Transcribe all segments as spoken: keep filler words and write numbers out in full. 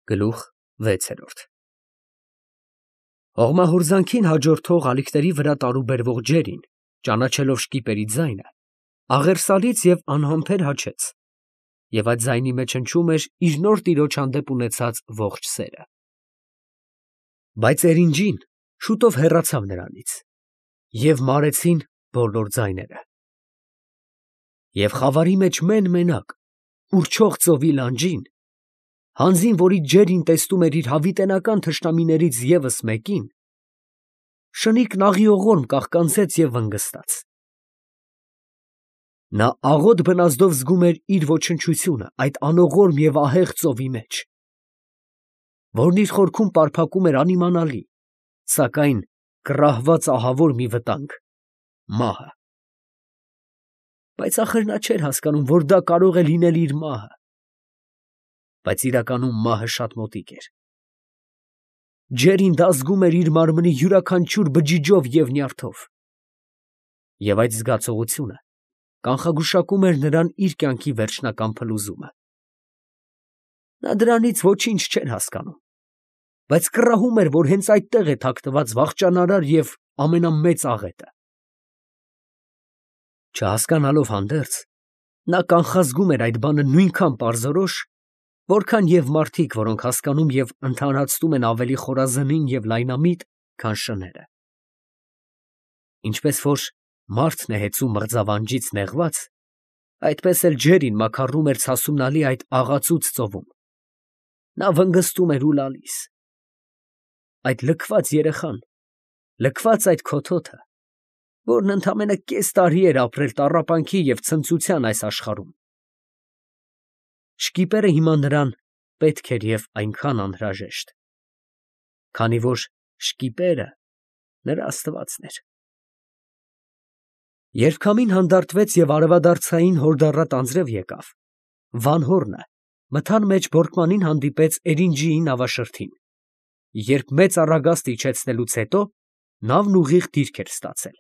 Գլուխ վեցերորդ Հողմահորձանքին հաջորդող ալիքների վրա տարուբերվող ջերին, ճանաչելով շկիպերի ձայնը, աղերսալից և անհամբեր հաչեց, և այդ ձայնի մեջ հնչում էր իր նոր տիրոջ հանդեպ ունեցած ողջ սերը։ Բայց էրինջին շուտով հեռացավ նրանից, և մարեցին բոլոր ձայները։ Եվ խավարի մեջ մեն֊մենակ, ուռչող ծովի լանջին, հանձին, որից ջերին տեսնում էր իր հավիտենական թշնամիներից ևս մեկին, շնիկ նաղիողորմ կաղկանցեց և վնգստաց։ Նա աղոտ բնազդով զգում էր իր ոչնչությունը այդ անողորմ և ահեղ ծովի մեջ, որն իր խորքում պարփակում էր անիմանալի, սակայն կռահված ահավոր մի վտանգ՝ մահը։ Բայց ախր նա չէր հասկանում, որ դա կարող է լինել իր մահը, բայց իրականում մահը շատ մոտիկ էր։ Ջերին դա զգում էր իր մարմնի յուրաքանչյուր բջիջով և նյարդով, և այդ զգացողությունը կանխագուշակում էր նրան իր կյանքի վերջնական փլուզումը։ Նա դրանից ոչինչ չէր հասկանում, բայց կռահում էր, որ հենց այդտեղ է թաքնված վախճանարար և ամենամեծ աղետը։ Չհասկանալով հանդերձ, նա կանխազգում էր այդ բանը նույնքան պարզորոշ, որքան և մարդիկ, որոնք հասկանում և ընդհանրացնում են ավելի խորազնին և լայնամիտ, քան շները։ Ինչպես որ մարդն է հեծում մղձավանջից նեղված, այդպես էլ ջերին մաքարում էր ցասունալի այդ աղացուծ ծովում. նա վնգստում էր ու լալիս։ Այդ լքված երեխան, լքված այդ քոթոթը, որն ընդամենը կես տարի էր ապրել տառապանքի և ցնծության այս աշխարհում, շկիպերը հիմա նրան պետք էր և այնքան անհրաժեշտ, քանի որ շկիպերը նրա աստվածն էր։ Երբ քամին հանդարտվեց և արևադարձային հորդառատ անձրև եկավ, Վանհոռնը մթան մեջ բորկմանին հանդիպեց Էրինջիի նավաշրթին, երբ մեծ առագաստ իջեցնելուց հետո նավն ուղիղ դիրք էր ստացել։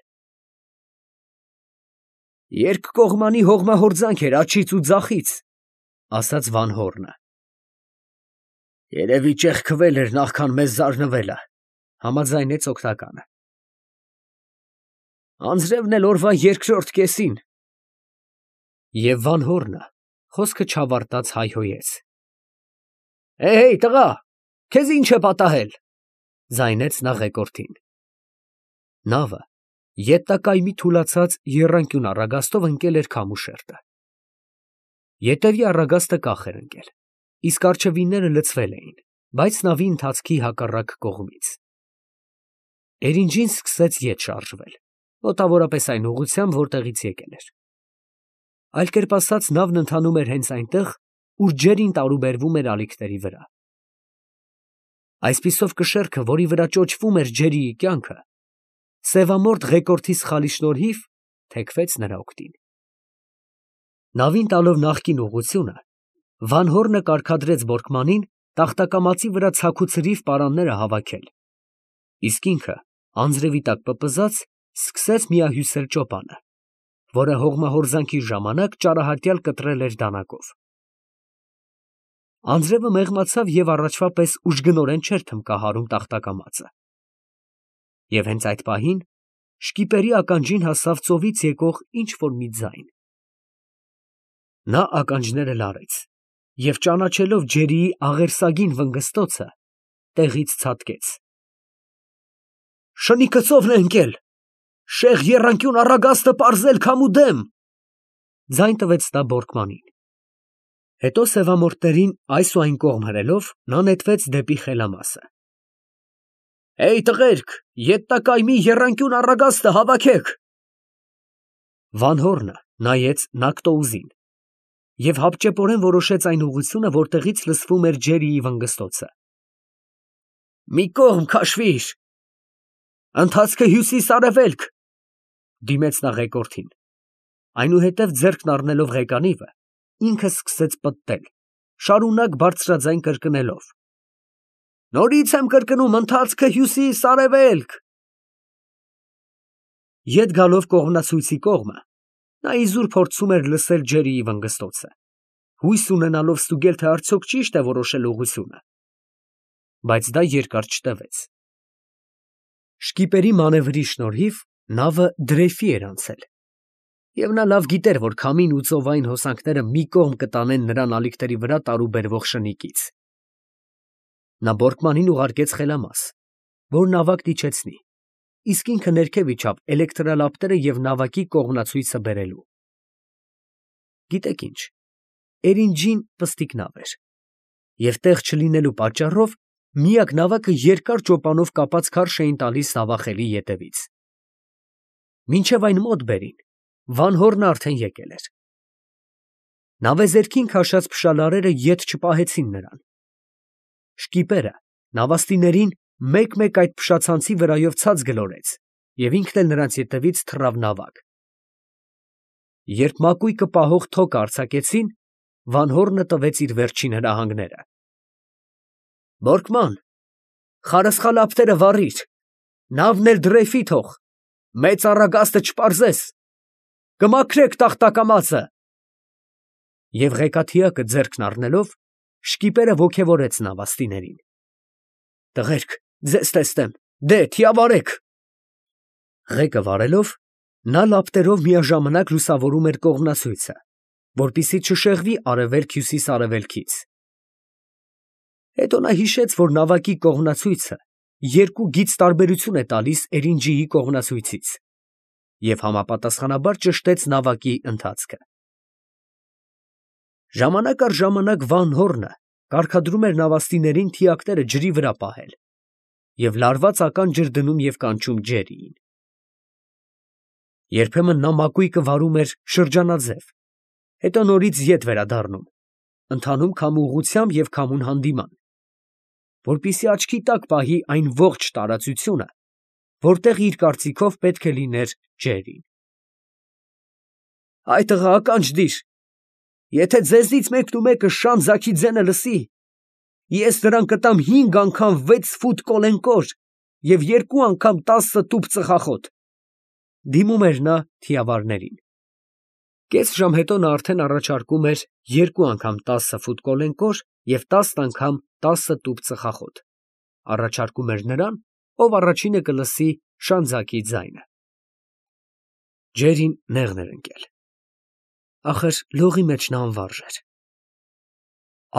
«Երկկողմանի հողմահորձանք էր աջից ու ձախից», ֊ ասաց Վանհոռնը։ «Երևի ճեղքվել էր, նախքան մեզ զարնվելը», ֊ համաձայնեց օգնականը։ «Անձրևն էլ օրվա երկրորդ կեսին»։ Եվ Վանհոռնը խոսքը չավարտած հայհոյեց. «Հեյ, տղա, քեզ ի՞նչ է պատահել», ֊ ձայնեց նա ղեկորդին։ Նավը ետնակայմի թուլացած եռանկյուն առագաստով ընկել էր քամուշերտը։ Ետևի առագաստը կախ էր ընկել, իսկ առջևինները լցվել էին, բայց նավի ընթացքի հակառակ կողմից։ Էրինջին սկսեց ետ շարժվել, մոտավորապես այն ուղղությամբ, որտեղից եկել էր։ Այլ կերպ ասած, նավն ընթանում էր հենց այնտեղ, ուր ջերին տարուբերվում էր ալիքների վրա։ Այսպիսով կշեռքը, որի վրա ճոճվում էր ջերիի կյանքը, սևամորթ ղեկորդի սխալի շնորհիվ, թեքվեց նրա օգտին։ Նավին տալով նախկին ուղղությունը, Վանհոռնը կարգադրեց բորկմանին տախտակամածի վրա ցաքուցրիվ պարանները հավաքել, իսկ ինքը, անձրևի տակ պպզած, սկսեց միահյուսել ճոպանը, որը հողմահորձանքի ժամանակ ճարահատյալ կտրել էր դանակով։ Անձրևը մեղմացավ և առաջվա պես ուժգնորեն չէր թմբկահարում տախտակամածը։ Եվ հենց այդ պահին շկիպերի ականջին հասավ ծովից եկող ինչ֊որ մի ձայն։ Նա ականջները լարեց և, ճանաչելով ջերիի աղերսագին վնգստոցը, տեղից ցատկեց։ «Շնիկը ծովն է ընկել, շեղ եռանկյուն առագաստը պարզել քամու դեմ», ֊ ձայն տվեց նա բորկմանին։ Հետո սևամորթներին այս ու այն կողմ հրելով, նա նետվեց դեպի խելամասը։ «Հեյ, տղերք, ետնակայմի եռանկյուն առագաստը հավաքեք»։ Վանհոռնը նայեց նակտոուզին և հապճեպորեն որոշեց այն ուղղությունը, որտեղից լսվում էր ջերիի վնգստոցը։ «Մի կողմ քաշվիր»։ «Ընթացքը հյուսիս֊արևելք», ֊ դիմեց նա ղեկորդին։ Այնուհետև ձեռքն առնելով ղեկանիվը, ինքը սկսեց պտտել, շարունակ բարձրաձայն կրկնելով. «Նորից եմ կրկնում, ընթացքը հյուսիս֊արևելք»։ Ետ գալով կողմնացույցի կողմը, նա իզուր փորձում էր լսել ջերիի վնգստոցը, հույս ունենալով ստուգել, թե արդյոք ճի՞շտ է որոշել ուղղությունը, բայց դա երկար չտևեց։ Շկիպերի մանևրի շնորհիվ նավը դրեյֆի էր անցել, և նա լավ գիտեր, որ քամին ու ծովային հոսանքները մի կողմ կտանեն նրան ալիքների վրա տարուբերվող շնիկից։ Նա Բորկմանին ուղարկեց խելամաս, որ նավակն իջեցնի, իսկ ինքը ներքև իջավ էլեկտրալապտերը և նավակի կողմնացույցը բերելու։ Գիտեք ինչ, Էրինջին պստիկ նավ էր, և տեղ չլինելու պատճառով միակ նավակը երկար ճոպանով կապած քարշ էին տալիս նավախելի ետևից։ Մինչև այն մոտ բերին, Վան Հորնը արդեն եկել էր։ Նավեզերքին քաշած փշալարերը ետ չպահեցին նրան։ Շկիպերը նավաստիներին մեկ֊մեկ այդ փշացանցի վրայով ցած գլորեց և ինքն էլ նրանց ետևից թռավ նավակ։ Երբ մակույկը պահող թոկը արձակեցին, Վան Հորնը տվեց իր վերջին հրահանգները. «Բորկման, խարսխալապտերը վառիր, նավն էլ դրեյֆի թող, մեծ առագաստը չպարզես, կմաքրեք տախտակամածը»։ Եվ ղեկաթիակը ձեռքն առնելով, շկիպերը ոգևորեց նավաստիներին. «Տղերք, ձեզ տեսնեմ, դե թիավարեք»։ Ղեկը վարելով, նա լապտերով միաժամանակ լուսավորում էր կողմնացույցը, որպեսզի չշեղվի արևելք֊հյուսիս֊արևելքից։ Հետո նա հիշեց, որ նավակի կողմնացույցը երկու գիծ տարբերություն է տալիս Էրինջիի կողմնացույցից, և համապատասխանաբար ճշտեց նավակի ընթացքը։ Ժամանակ առ ժամանակ Վան Հորնը կարգադրում էր նավաստիներին թիակները ջրի վրա պահել և լարված ականջեր դնում և կանչում Ջերիին։ Երբեմն նա մակույկը վարում էր շրջանաձև, հետո նորից ետ վերադառնում, ընթանում քամու ուղղությամբ և քամուն հանդիման, որպեսզի աչքի տակ պահի այն ողջ տարածությունը, որտեղ իր կարծիքով պետք է լիներ Ջերին։ «Այ տղա, ականջ դիր, եթե ձեզնից մեկնումեկը շան ձագի ձենը լսի, ես նրան կտամ հինգ անգամ վեց ֆուտ կոլենկոր և երկու անգամ տասը տուփ ծխախոտ», ֊ դիմում էր նա թիավարներին։ Կես ժամ հետո նա արդեն առաջարկում էր երկու անգամ տասը ֆուտ կոլենկոր և տասն անգամ տասը տուփ ծխախոտ, առաջարկում էր նրան, ով առաջինը կլսի շանձակի ձայնը։ Ջերին նեղն էր ընկել, ախր լողի մեջ նա անվարժ էր։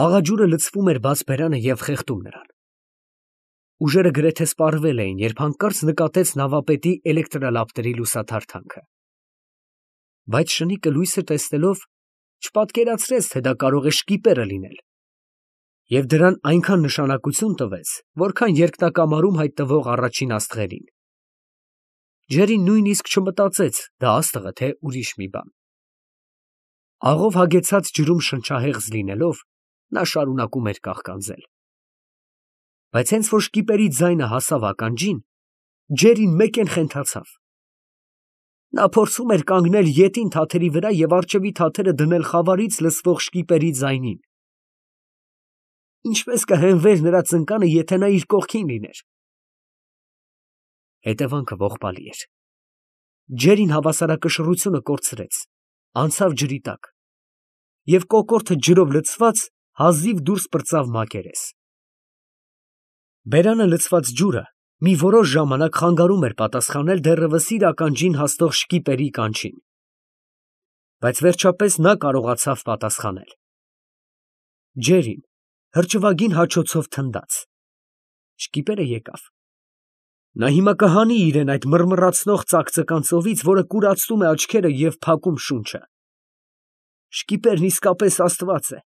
Աղա ջուրը լցվում էր բաց բերանը և խեղդում նրան։ Ուժերը գրեթե սպառվել էին, երբ հանկարծ նկատեց նավապետի էլեկտրալապտերի լուսաթարթանքը։ Բայց շնիկը լույսը տեսնելով, չպատկերացրեց, թե դա կարող է շկիպերը լինել, և դրան այնքան նշանակություն տվեց, որքան երկնակամարում հայտնվող առաջին աստղերին։ Ջերին նույնիսկ չմտածեց դա աստղ է, թե ուրիշ մի բան։ Աղով հագեցած ջրում շնչահեղձ լինելով, նա շարունակում էր կաղկանձել։ Բայց հենց որ շկիպերի ձայնը հասավ ականջին, Ջերին մեկեն խենթացավ։ Նա փորձում էր կանգնել ետին թաթերի վրա և առջևի թաթերը դնել խավարից լսվող շկիպերի ձայնին։ Ինչպես կհենվեր նրա ծնկանը, եթե նա իր կողքին լիներ։ Հետևանքը ողբալի էր։ Ջերին հավասարակշռությունը կորցրեց, անցավ ջրի տակ և կոկորդը ջրով լցված հազիվ դուրս պրծավ մակերես։ Բերանը լցված ջուրը մի որոշ ժամանակ խանգարում էր պատասխանել դեռևս իր ականջին հասնող շկիպերի կանչին, բայց վերջապես նա կարողացավ պատասխանել։ Ջերին հրճվագին հաչոցով թնդաց։ Շկիպերը եկավ։ Նա հիմա կհանի իրեն այդ մռմռացնող ծակծկան ծովից, որը կուրացնում է աչքերը և փակում շունչը։ Շկիպերն իսկապես աստված է,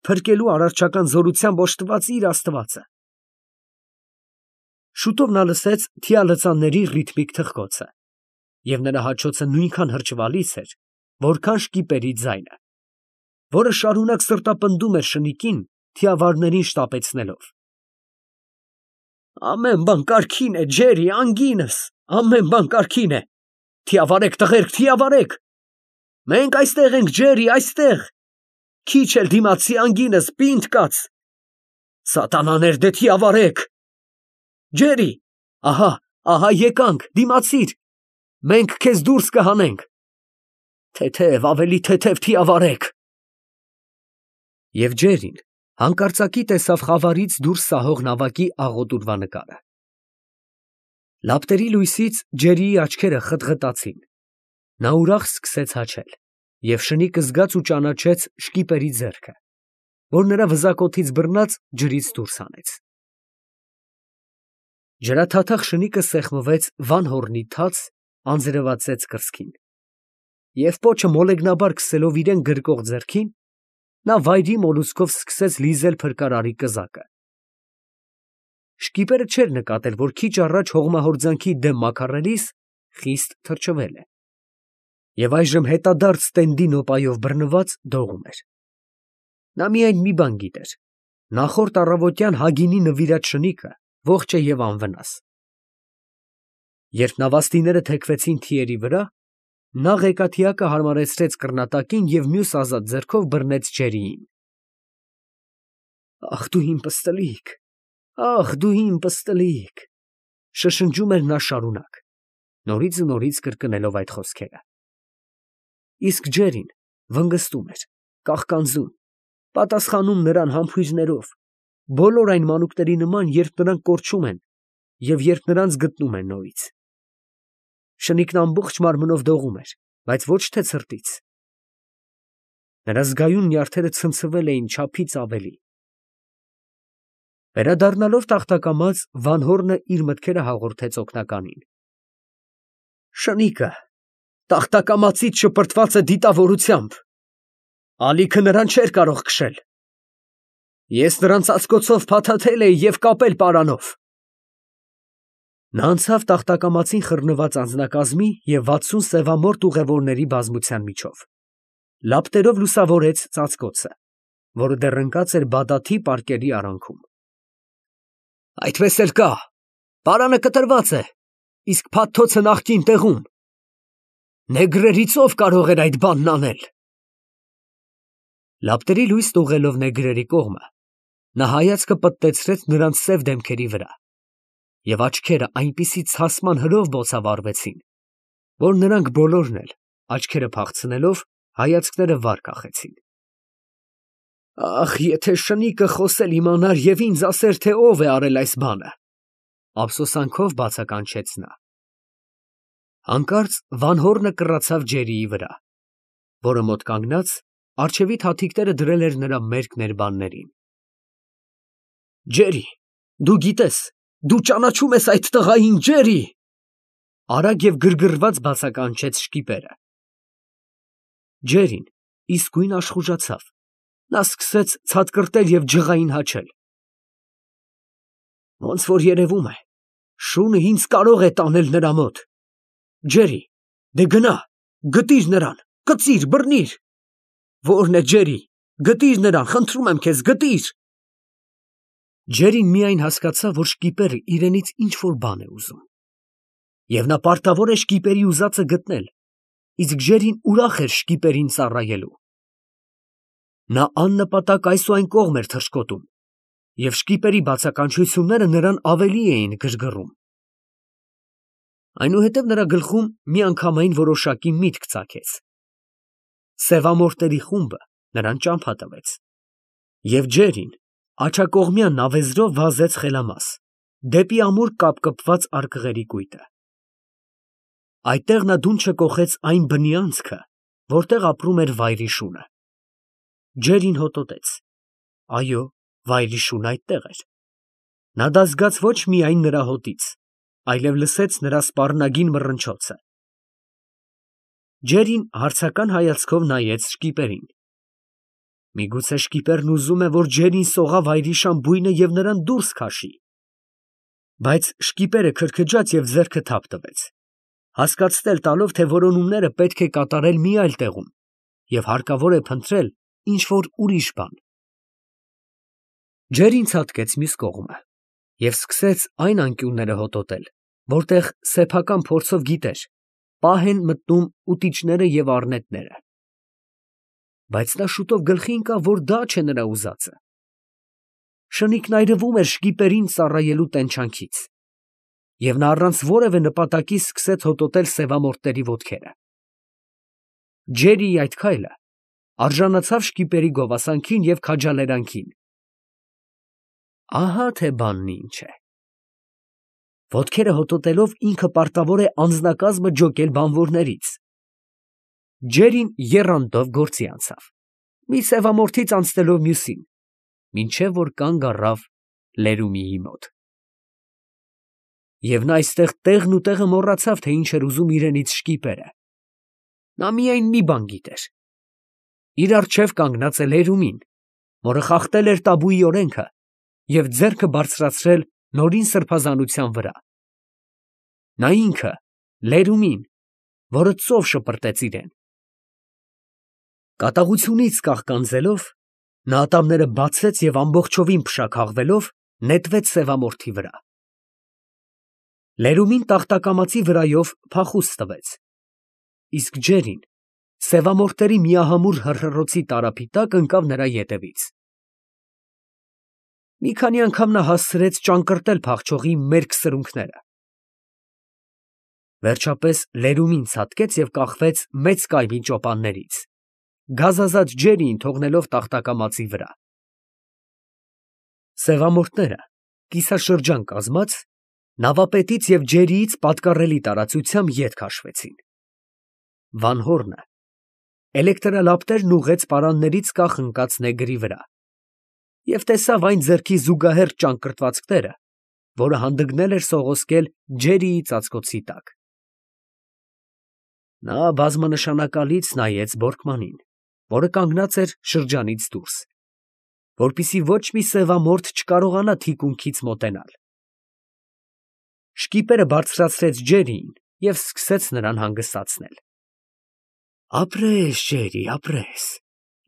փրկելու արարչական զորությամբ օժտված իր աստվածը։ Շուտով նա լսեց թիալծանների ռիթմիկ թխկոցը, և նրա հաչոցը նույնքան հրճվալից էր, որքան շկիպերի ձայնը, որը շարունակ սրտապնդում էր շնիկին, թիավարներին շտապեցնելով։ «Ամեն բան կարգին է, Ջերի, անգինս, ամեն բան կարգին է, թիավարեք, տղերք, թիավարեք, մենք այստեղ ենք, Ջերի, այստեղ, քիչ էլ դիմացի, անգինս, պինդ կաց, սատանաներ, դե թիավարեք, Ջերի, ահա, ահա եկանք, դիմացիր, մենք քեզ դուրս կհանենք, թեթև, ավելի թեթև թիավարեք»։ Եվ Ջերին Հանկարծակի տեսավ խավարից դուրս սահող նավակի աղոտ ուրվանկարը։ Լապտերի լույսից Ջերիի աչքերը խտղտացին, նա ուրախ սկսեց հաչել, և շնիկը զգաց ու ճանաչեց շկիպերի ձեռքը, որ նրա վզակոթից բռնած ջրից դուրս հանեց։ Ջրաթաթախ շնիկը սեղմվեց վան հոռնի թաց, անձրևածեց կրծքին, և պոչը մոլեգնաբար քսելով իրան գրկող ձեռքին, նա վայրի մոլուցքով սկսեց լիզել փրկարարի կզակը։ Շկիպերը չէր նկատել, որ քիչ առաջ հողմահորձանքի դեմ մաքարելիս խիստ թրջվել է, և այժմ հետադարձ տենդի նոպայով բռնված դողում էր։ Նա միայն մի բան գիտեր. նախորդ առավոտյան Հագինի նվիրած շնիկը ողջ է և անվնաս։ Երբ նավաստիները թեքվեցին թիերի վրա, նա ղեկաթիակը հարմարեցրեց կռնատակին և մյուս ազատ ձեռքով բռնեց Ջերիին։ «Ախ դու իմ պստլիկ, ախ դու իմ պստլիկ», շշնջում էր նա շարունակ, նորից ու նորից կրկնելով այդ խոսքերը։ Իսկ Ջերին վնգստում էր, կաղկանձում, պատասխանում նրան համբույրներով, բոլոր այն մանուկների նման, երբ նրանք կորչում են և երբ նրանց գտնում են նորից։ Շնիկն ամբողջ մարմնով դողում էր, բայց ոչ թե ցրտից։ Նրա զգայուն նյարդերը ցնցվել էին չափից ավելի։ Վերադառնալով տախտակամած, Վան հոռնը իր մտքերը հաղորդեց օգնականին։ Շնիկը տախտակամածից շպրտված է դիտավորությամբ, ալիքը նրան չէր կարող քշել։ Ես նրան ծածկոցով փաթաթել էի և կապել պարանով։ Նա անցավ տախտակամածին խռնված անձնակազմի և վաթսուն սևամորթ ուղևորների բազմության միջով, լապտերով լուսավորեց ծածկոցը, որը դեռ ընկած էր բադաթի պարկերի արանքում։ Այդպես էլ կա, պարանը կտրված է, իսկ փաթթոցը նախկին տեղում։ Նեգրերից ով կարող էր այդ բանն անել։ Լապտերի լույս տուղելով նեգրերի կողմը, նա հայացքը պտտեցրեց նրանց սև դեմքերի վրա, և աչքերը այնպիսի ցասման հրով բոցավառվեցին, որ նրանք բոլորն էլ, աչքերը փախցնելով, հայացքները վար կախեցին։ Ախ, եթե շնիկը խոսել իմանար և ինձ ասեր, թե ով է արել այս բանը, ափսոսանքով բացականչեց նա։ Հանկարծ Վան հոռնը կռացավ Ջերիի վրա, որը մոտ կանգնած, առջևի թաթիկները դրել էր նրա մերկ ներբաններին։ Ջերի, դու գիտես, դու ճանաչում ես այդ տղային, Ջերի… արագ և գրգռված բացականչեց շկիպերը։ Ջերին իսկույն աշխուժացավ, նա սկսեց ցատկրտել և ջղային հաչել։ Ոնց որ երևում է, շունը ինձ կարող է տանել նրա մոտ։ Ջերի, դե գնա, գտիր նրան, կծիր, բռնիր։ Ո՞րն է Ջերի, գտիր նրան, խնդրում եմ քեզ, գտիր։ Ջերին միայն հասկացավ, որ շկիպերը իրենից ինչ֊որ բան է ուզում, և նա պարտավոր է շկիպերի ուզածը գտնել, իսկ Ջերին ուրախ էր շկիպերին ծառայելու։ Նա աննպատակ այս ու այն կողմ էր թռչկոտում, և շկիպերի բացականչությունները նրան ավելի էին գրգռում։ Այնուհետև նրա գլխում միանգամայն որոշակի միտք ծագեց։ Սևամորթների խումբը նրան ճամփա տվեց, և Ջերին աջակողմյան նավեզրով վազեց խելամաս, դեպի ամուր կապկպված արկղերի կույտը։ Այդտեղ նա դունչը կոխեց այն բնի անցքը, որտեղ ապրում էր վայրի շունը։ Ջերին հոտոտեց. այո, վայրի շունը այդտեղ էր։ Նա դա զգաց ոչ միայն նրա հոտից, այլև լսեց նրա սպառնագին մռնչոցը։ Ջերին հարցական հայացքով նայեց շկիպերին։ Միգուցե շկիպերն ուզում է, որ Ջերին սողա վայրիշան բույնը և նրան դուրս քաշի։ Բայց շկիպերը քրքջաց և ձեռքը թափ տվեց, հասկացնել տալով, թե որոնումները պետք է կատարել մի այլ տեղում, և հարկավոր է փնտրել ինչ֊որ ուրիշ բան։ Ջերին ցատկեց մյուս կողմը և սկսեց այն անկյունները հոտոտել, որտեղ սեփական փորձով գիտեր, պահ են մտնում ուտիչները և առնետները։ Բայց նա շուտով գլխի ընկավ, որ դա չէ նրա ուզածը։ Շնիկն այրվում էր շկիպերին ծառայելու տենչանքից, և նա առանց որևէ նպատակի սկսեց հոտոտել սևամորթների ոտքերը։ Ջերիի այդ քայլը արժանացավ շկիպերի գովասանքին և քաջալերանքին, Ահա թե բանն ինչ է։ Ոտքերը հոտոտելով ինքը պարտավոր է անձնակազմը ջոկել բանվորներից։ Ջերին եռանդով գործի անցավ, մի սևամորթից անցնելով մյուսին, մինչև որ կանգ առավ Լերումիի մոտ։ Եվ նա այստեղ տեղն ու տեղը մոռացավ, թե ինչ էր ուզում իրենից շկիպերը։ Նա միայն մի բան գիտեր. իր առջև կանգնած է Լերումին, որը խախտել էր տաբուի օրենքը և ձեռքը բարձրացրել նորին սրբազանության վրա։ Նա ինքը, Լերումին, որը ծով շպրտեց իրեն։ Կատաղությունից կաղկանձելով, նա ատամները բացեց և ամբողջովին փշաքաղվելով նետվեց սևամորթի վրա։ Լերումին տախտակամածի վրայով փախուստ տվեց, իսկ Ջերին սևամորթերի միահամուռ հռհռոցի տարափի տակ ընկավ նրա ետևից։ Մի քանի անգամ նա հասցրեց ճանկռտել փախչողի մերկ սրունքները։ Վերջապես Լերումին ցատկեց և կախվեց մեծ կայմի ճոպաններից, գազազած Ջերիին թողնելով տախտակամածի վրա։ Սևամորթները, կիսաշրջան կազմած, նավապետից և ջերիից պատկառելի տարածությամբ ետ քաշվեցին։ Վանհորնը էլեկտրալապտերն ուղղեց պարաններից կախ ընկած նեգրի վրա և տեսավ այն ձեռքի զուգահեռ ճանկռտվածքները, որը հանդգնել էր սողոսկել Ջերիի ծածկոցի տակ։ Նա բազմանշանակալից նայեց Բորկմանին, որը կանգնած էր շրջանից դուրս, որպեսզի ոչ մի սևամորթ չկարողանա թիկունքից մոտենալ։ Շկիպերը բարձրացրեց Ջերիին և սկսեց նրան հանգստացնել։ Ապրես, Ջերի, ապրես,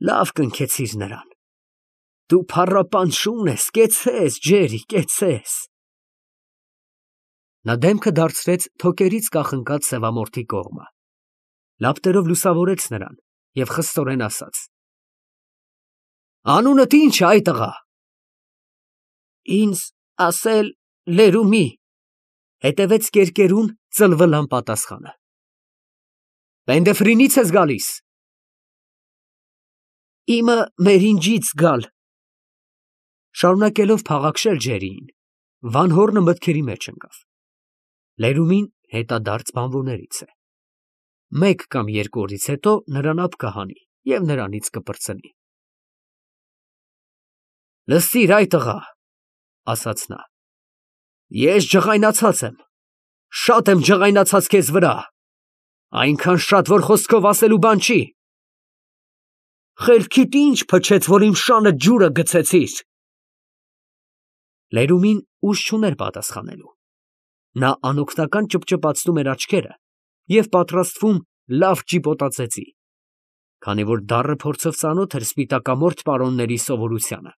լավ կնքեցիր նրան։ Դու փառապան շուն ես, կեցցես, Ջերի, կեցցես։ Նա դեմքը դարձրեց թոկերից կախ ընկած սևամորթի կողմը, լապտերով լուսավորեց նրան և խստորեն ասաց. Անունդ ի՞նչ է, այ տղա։ Ինձ ասել Լերումի, հետևեց կերկերուն ծլվլան պատասխանը։ Պենդեֆրինից ես գալիս։ Իմը Մերինջից գալ։ Շարունակելով փաղաքշել Ջերիին, Վանհորնը մտքերի մեջ ընկավ։ Լերումին հետադարձ բանվորներից է։ Մեկ կամ երկու օրից հետո նրան ափ կհանի և նրանից կպրծնի։ Լսիր, այ տղա, ասաց նա, ես ջղայնացած եմ, շատ եմ ջղայնացած քեզ վրա, այնքան շատ, որ խոսքով ասելու բան չի։ Խելքիդ ինչ փչեց, որ իմ շանը ջուրը գցեցիր։ Լերումին ուժ չուներ պատասխանելու։ Նա անօգնական ճպճպացնում էր աչքերը և պատրաստվում լավ ճիպոտածեցի, քանի որ դառը փորձով ծանոթ էր սպիտակամորթ պարոնների սովորությանը։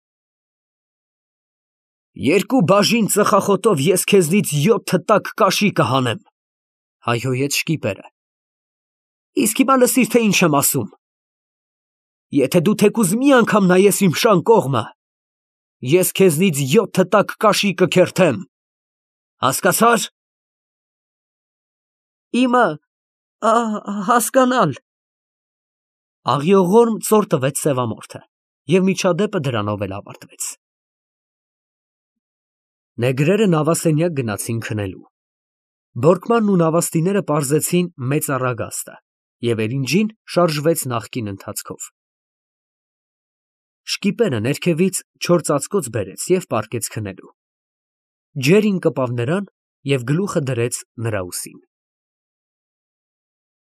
Երկու բաժին ծխախոտով ես քեզնից յոթ տակ կաշի կհանեմ, հայհոյեց շկիպերը։ Իսկ հիմա լսիր, թե ինչ եմ ասում։ Եթե դու թեկուզ մի անգամ նայես իմ շան կողմը, ես քեզնից յոթ տակ կաշի կքերթեմ, հասկացա՞ր։ Իմը, հասկանալ։ Աղիողորմ ծոր տվեց սևամորթը, և միջադեպը դրանով էլ ավարտվեց։ Նեգրերը նավասենյակ գնացին քնելու։ Բորկմանն ու նավաստիները պարզեցին մեծ առագաստը, և էրինջին շարժվեց նախկին ընթացքով։ Շկիպերը ներքևից չոր ծածկոց բերեց և պառկեց քնելու։ Ջերին կպավ նրան և գլուխը դրեց նրա ուսին։